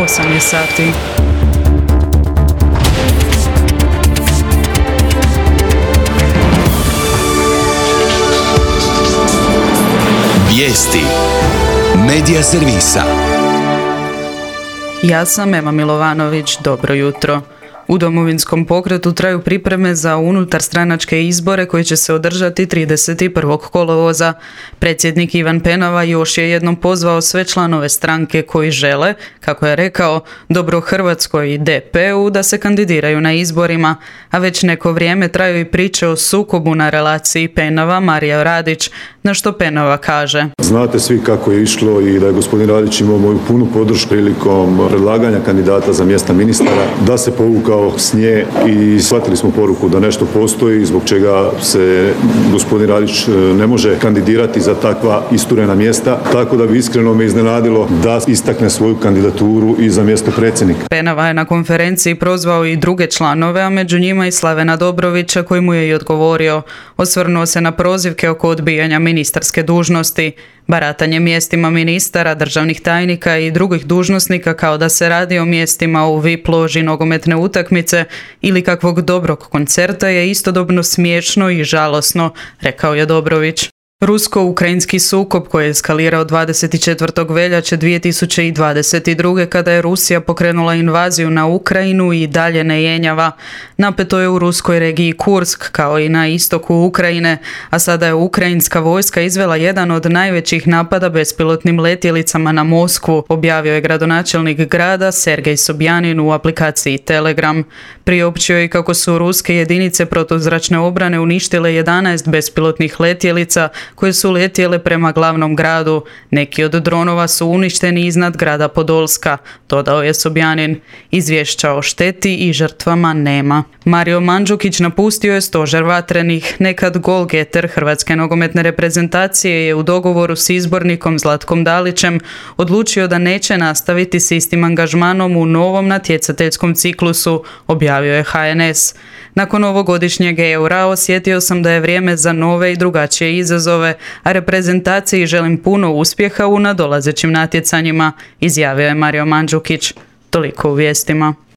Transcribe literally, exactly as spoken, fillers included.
osam je sati. Vijesti Medija servisa. Ja sam Ema Milovanović, dobro jutro. U Domovinskom pokretu traju pripreme za unutarstranačke izbore koji će se održati trideset prvog kolovoza. Predsjednik Ivan Penava još je jednom pozvao sve članove stranke koji žele, kako je rekao, dobro Hrvatskoj i D P-u da se kandidiraju na izborima, a već neko vrijeme traju i priče o sukobu na relaciji Penava-Marija Radić, na što Penava kaže. Znate svi kako je išlo i da je gospodin Radić imao moju punu podršku prilikom predlaganja kandidata za mjesta ministara, da se povukao s nje i shvatili smo poruku da nešto postoji zbog čega se gospodin Radić ne može kandidirati za takva isturena mjesta, tako da bi iskreno me iznenadilo da istakne svoju kandidaturu i za mjesto predsjednika. Penava je na konferenciji prozvao i druge članove, a među njima i Slavena Dobrovića koji mu je i odgovorio. Osvrnuo se na prozivke oko odbijanja ministarske dužnosti. Baratanje mjestima ministara, državnih tajnika i drugih dužnosnika kao da se radi o mjestima u V I P loži nogometne utakmice ili kakvog dobrog koncerta je istodobno smiješno i žalosno, rekao je Dobrović. Rusko-ukrajinski sukob koji je eskalirao dvadeset četvrtog veljače dvije tisuće dvadeset druge kada je Rusija pokrenula invaziju na Ukrajinu i dalje ne jenjava. Napeto je u ruskoj regiji Kursk kao i na istoku Ukrajine, a sada je ukrajinska vojska izvela jedan od najvećih napada bespilotnim letjelicama na Moskvu, objavio je gradonačelnik grada Sergej Sobjanin u aplikaciji Telegram. Priopćio je kako su ruske jedinice protuzračne obrane uništile jedanaest bespilotnih letjelica koje su letjele prema glavnom gradu. Neki od dronova su uništeni iznad grada Podolska, dodao je Sobjanin. Izvješća o šteti i žrtvama nema. Mario Mandžukić napustio je stožer vatrenih. Nekad golgeter hrvatske nogometne reprezentacije je u dogovoru s izbornikom Zlatkom Dalićem odlučio da neće nastaviti s istim angažmanom u novom natjecateljskom ciklusu, objavio je H N S. Nakon ovogodišnjeg eura osjetio sam da je vrijeme za nove i drugačije izazove, a reprezentaciji želim puno uspjeha u nadolazećim natjecanjima, izjavio je Mario Mandžukić. Toliko u vijestima.